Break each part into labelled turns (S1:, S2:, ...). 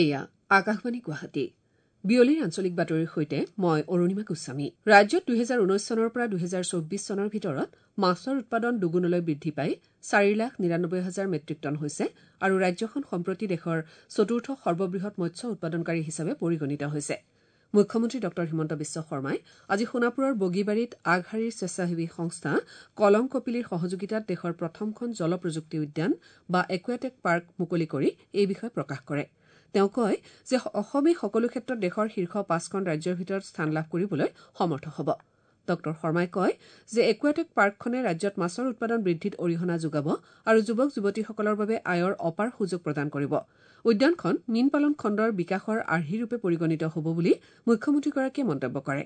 S1: এয়া আকাশবাণী গুৱাহাটী। বিয়লিৰ আঞ্চলিক বাতৰিৰ সৈতে মই অৰুণিমা গোস্বামী। ৰাজ্যত ২০১৯ চনৰ পৰা ২০২৪ চনৰ ভিতৰত মাছৰ উৎপাদন দুগুণলৈ বৃদ্ধি পাই ৪,৯৯,০০০ মেট্ৰিক টন হৈছে আৰু ৰাজ্যখন সম্প্ৰতি দেশৰ চতুৰ্থ সৰ্ববৃহৎ মৎস্য উৎপাদনকাৰী হিচাপে পৰিগণিত হৈছে। মুখ্যমন্ত্ৰী ডঃ হিমন্ত বিশ্ব শৰ্মাই আজি সোণাপুৰৰ বগীবাৰীত আগশাৰীৰ স্বেচ্ছাসেৱী সংস্থা কলং কপিলীৰ সহযোগিতাত দেশৰ প্ৰথমখন জল প্ৰযুক্তি উদ্যান বা একুৱাটেক পাৰ্ক মুকলি কৰি এই বিষয়ে প্ৰকাশ কৰে। তেওঁ কয় যে অসমে সকলো ক্ষেত্ৰত দেশৰ শীৰ্ষ পাঁচখন ৰাজ্যৰ ভিতৰত স্থান লাভ কৰিবলৈ সমৰ্থ হ'ব। ডঃ শৰ্মাই কয় যে একুৱাটেক পাৰ্কখনে ৰাজ্যত মাছৰ উৎপাদন বৃদ্ধিত অৰিহণা যোগাব আৰু যুৱক যুৱতীসকলৰ বাবে আয়ৰ অপাৰ সুযোগ প্ৰদান কৰিব। উদ্যানখন মীন পালন খণ্ডৰ বিকাশৰ আৰ্হিৰূপে পৰিগণিত হ'ব বুলি মুখ্যমন্ত্ৰীগৰাকীয়ে মন্তব্য কৰে।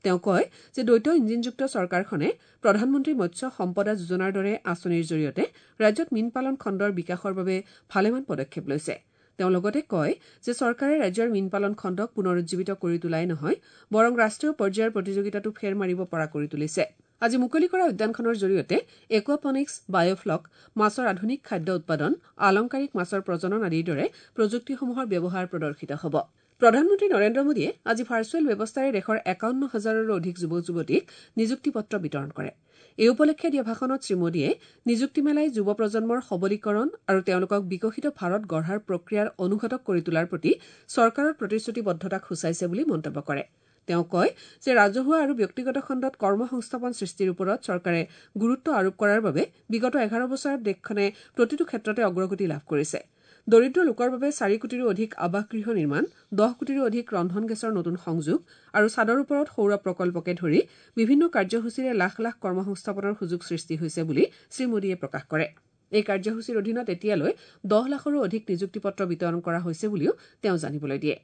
S1: তেওঁ কয় যে দ্বৈত ইঞ্জিনযুক্ত চৰকাৰখনে প্ৰধানমন্ত্ৰী মৎস্য সম্পদা যোজনাৰ দৰে আঁচনিৰ জৰিয়তে ৰাজ্যত মীন পালন খণ্ডৰ বিকাশৰ বাবে ভালেমান পদক্ষেপ লৈছে। তেওঁ লগতে কয় যে চৰকাৰে ৰাজ্যৰ মীন পালন খণ্ডক পুনৰুজ্জীৱিত কৰি তোলাই নহয়, বৰং ৰাষ্ট্ৰীয় পৰ্যায়ৰ প্ৰতিযোগিতাতো ফেৰ মাৰিব পৰা কৰি তুলিছে। আজি মুকলি কৰা উদ্যানখনৰ জৰিয়তে একুৱাপনিক্স, বায়'ফ্লক, মাছৰ আধুনিক খাদ্য উৎপাদন, আলংকাৰিক মাছৰ প্ৰজনন আদিৰ দৰে প্ৰযুক্তিসমূহৰ ব্যৱহাৰ প্ৰদৰ্শিত হ'ব। প্ৰধানমন্ত্ৰী নৰেন্দ্ৰ মোদীয়ে আজি ভাৰ্চুৱেল ব্যৱস্থাৰে দেশৰ ৫১ হাজাৰৰো অধিক যুৱক যুৱতীক নিযুক্তি পত্ৰ বিতৰণ কৰে। এই উপলক্ষে দিয়া ভাষণত শ্ৰীমোদীয়ে নিযুক্তি মেলাই যুৱ প্ৰজন্মৰ সবলীকৰণ আৰু তেওঁলোকক বিকশিত ভাৰত গঢ়াৰ প্ৰক্ৰিয়াৰ অনুঘটক কৰি তোলাৰ প্ৰতি চৰকাৰৰ প্ৰতিশ্ৰুতিবদ্ধতাক সূচাইছে বুলি মন্তব্য কৰে। তেওঁ কয় যে ৰাজহুৱা আৰু ব্যক্তিগত খণ্ডত কৰ্মসংস্থাপন সৃষ্টিৰ ওপৰত চৰকাৰে গুৰুত্ব আৰোপ কৰাৰ বাবে বিগত ১১ বছৰত দেশখনে প্ৰতিটো ক্ষেত্ৰতে অগ্ৰগতি লাভ কৰিছে। দৰিদ্ৰ লোকৰ বাবে ৪ কোটিৰো অধিক আৱাসগৃহ নিৰ্মাণ, ১০ কোটিৰো অধিক ৰন্ধন গেছৰ নতুন সংযোগ আৰু ছাদৰ ওপৰত সৌৰ প্ৰকল্পকে ধৰি বিভিন্ন কাৰ্যসূচীৰে লাখ লাখ কৰ্মসংস্থাপনৰ সুযোগ সৃষ্টি হৈছে বুলি শ্ৰীমোদীয়ে প্ৰকাশ কৰে। এই কাৰ্যসূচীৰ অধীনত এতিয়ালৈ ১০ লাখৰো অধিক নিযুক্তি পত্ৰ বিতৰণ কৰা হৈছে বুলিও তেওঁ জানিবলৈ দিয়ে।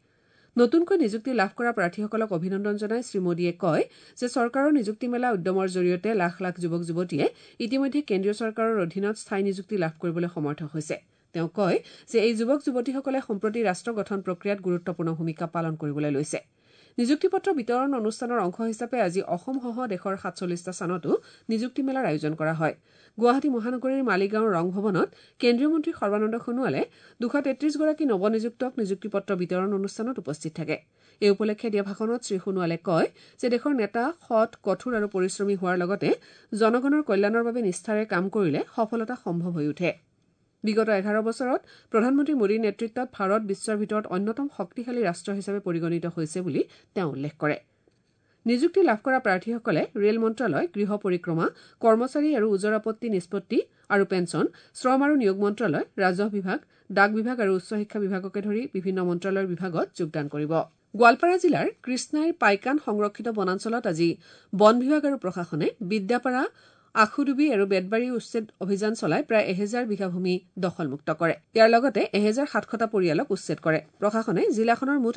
S1: নতুনকৈ নিযুক্তি লাভ কৰা প্ৰাৰ্থীসকলক অভিনন্দন জনাই শ্ৰীমোদীয়ে কয় যে চৰকাৰৰ নিযুক্তি মেলা উদ্যমৰ জৰিয়তে লাখ লাখ যুৱক যুৱতীয়ে ইতিমধ্যে কেন্দ্ৰীয় চৰকাৰৰ অধীনত স্থায়ী নিযুক্তি লাভ কৰিবলৈ সমৰ্থ হৈছে। তেওঁ কয় যে এই যুৱক যুৱতীসকলে সম্প্ৰতি ৰাষ্ট্ৰ গঠন প্ৰক্ৰিয়াত গুৰুত্বপূৰ্ণ ভূমিকা পালন কৰিবলৈ লৈছে। নিযুক্তি পত্ৰ বিতৰণ অনুষ্ঠানৰ অংশ হিচাপে আজি অসমসহ দেশৰ ৪৭টা স্থানতো নিযুক্তি মেলাৰ আয়োজন কৰা হয়। গুৱাহাটী মহানগৰীৰ মালিগাঁৱৰ ৰং ভৱনত কেন্দ্ৰীয় মন্ত্ৰী সৰ্বানন্দ সোণোৱালে ২৩৩ গৰাকী নৱনিযুক্তক নিযুক্তি পত্ৰ বিতৰণ অনুষ্ঠানত উপস্থিত থাকে। এই উপলক্ষে দিয়া ভাষণত শ্ৰীসোণোৱালে কয় যে দেশৰ নেতা সৎ, কঠোৰ আৰু পৰিশ্ৰমী হোৱাৰ লগতে জনগণৰ কল্যাণৰ বাবে নিষ্ঠাৰে কাম কৰিলে সফলতা সম্ভৱ হৈ উঠে। বিগত ১১ বছৰত প্ৰধানমন্ত্ৰী মোদীৰ নেতৃত্বত ভাৰত বিশ্বৰ ভিতৰত অন্যতম শক্তিশালী ৰাষ্ট্ৰ হিচাপে পৰিগণিত হৈছে বুলি তেওঁ উল্লেখ কৰে। নিযুক্তি লাভ কৰা প্ৰাৰ্থীসকলে ৰেল মন্ত্ৰালয়, গৃহ পৰিক্ৰমা, কৰ্মচাৰী আৰু ওজৰ আপত্তি নিষ্পত্তি আৰু পেঞ্চন, শ্ৰম আৰু নিয়োগ মন্ত্ৰালয়, ৰাজহ বিভাগ, ডাক বিভাগ আৰু উচ্চ শিক্ষা বিভাগকে ধৰি বিভিন্ন মন্ত্ৰালয়ৰ বিভাগত যোগদান কৰিব। গোৱালপাৰা জিলাৰ কৃষ্ণাইৰ পাইকান সংৰক্ষিত বনাঞ্চলত আজি বন বিভাগ আৰু প্ৰশাসনে বিদ্যাপাৰা, আখুডুবি আৰু বেতবাৰী উচ্ছেদ অভিযান চলাই প্ৰায় ১০০০ বিঘা ভূমি দখলমুক্ত কৰে। ইয়াৰ লগতে ১৭০০টা পৰিয়ালক উচ্ছেদ কৰে। প্ৰশাসনে জিলাখনৰ মুঠ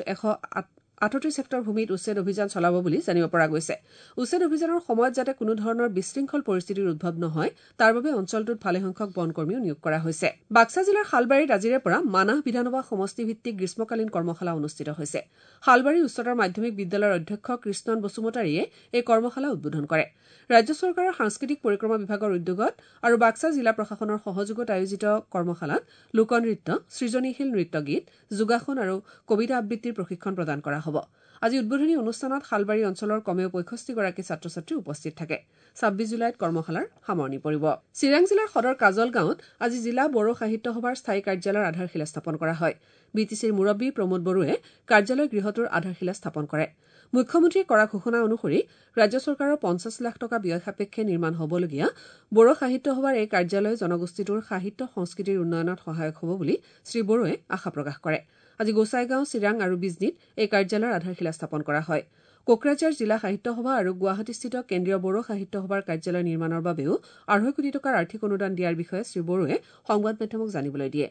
S1: ১৩৮ হেক্টৰ ভূমিত উচ্ছেদ অভিযান চলাব বুলি জানিব পৰা গৈছে। উচ্ছেদ অভিযানৰ সময়ত যাতে কোনো ধৰণৰ বিশৃংখল পৰিস্থিতিৰ উদ্ভৱ নহয় তাৰ বাবে অঞ্চলটোত ভালেসংখ্যক বনকৰ্মীও নিয়োগ কৰা হৈছে। বাক্সা জিলাৰ শালবাৰীত আজিৰে পৰা মানাহ বিধানসভা সমষ্টিভিত্তিক গ্ৰীষ্মকালীন কৰ্মশালা অনুষ্ঠিত হৈছে। শালবাৰী উচ্চতৰ মাধ্যমিক বিদ্যালয়ৰ অধ্যক্ষ কৃষ্ণন বসুমতাৰীয়ে এই কৰ্মশালা উদ্বোধন কৰে। ৰাজ্য চৰকাৰৰ সাংস্কৃতিক পৰিক্ৰমা বিভাগৰ উদ্যোগত আৰু বাক্সা জিলা প্ৰশাসনৰ সহযোগত আয়োজিত কৰ্মশালাত লোকনৃত্য, সৃজনীশীল নৃত্য গীত, যোগাসন আৰু কবিতা আবৃত্তিৰ প্ৰশিক্ষণ প্ৰদান কৰা হ'ব। আজি উদ্বোধনী অনুষ্ঠানত শালবাৰী অঞ্চলৰ কমেও ৬৫ গৰাকী ছাত্ৰ ছাত্ৰী উপস্থিত থাকে। ২৬ জুলাইত কৰ্মশালাৰ সামৰণি পৰিব। চিৰাং জিলাৰ সদৰ কাজলগাঁৱত আজি জিলা বড়ো সাহিত্য সভাৰ স্থায়ী কাৰ্যালয়ৰ আধাৰশিলা স্থাপন কৰা হয়। বি টি চিৰ মুৰব্বী প্ৰমোদ বড়োৱে কাৰ্যালয় গৃহটোৰ আধাৰশিলা স্থাপন কৰে। মুখ্যমন্ত্ৰীয়ে কৰা ঘোষণা অনুসৰি ৰাজ্য চৰকাৰৰ ৫০ লাখ টকা ব্যয় সাপেক্ষে নিৰ্মাণ হ'বলগীয়া বড়ো সাহিত্য সভাৰ এই কাৰ্যালয়ে জনগোষ্ঠীটোৰ সাহিত্য সংস্কৃতিৰ উন্নয়নত সহায়ক হ'ব বুলি শ্ৰীবড়োৱে আশা প্ৰকাশ কৰে। আজি গোসাইগাঁও, চিৰাং আৰু বিজনীত এই কাৰ্যালয়ৰ আধাৰশিলা স্থাপন কৰা হয়। কোকৰাঝাৰ জিলা সাহিত্য সভা আৰু গুৱাহাটীস্থিত কেন্দ্ৰীয় বড়ো সাহিত্য সভাৰ কাৰ্যালয় নিৰ্মাণৰ বাবেও ২.৫ কোটি টকাৰ আৰ্থিক অনুদান দিয়াৰ বিষয়ে শ্ৰীবড়োৱে সংবাদ মাধ্যমক জানিবলৈ দিয়ে।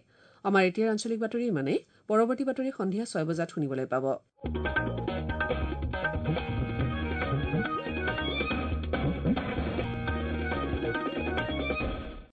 S1: আমাৰ এতিয়াৰ আঞ্চলিক বাতৰি ইমানেই। পৰৱৰ্তী বাতৰি সন্ধিয়া ৬ বজাত শুনিবলৈ পাব।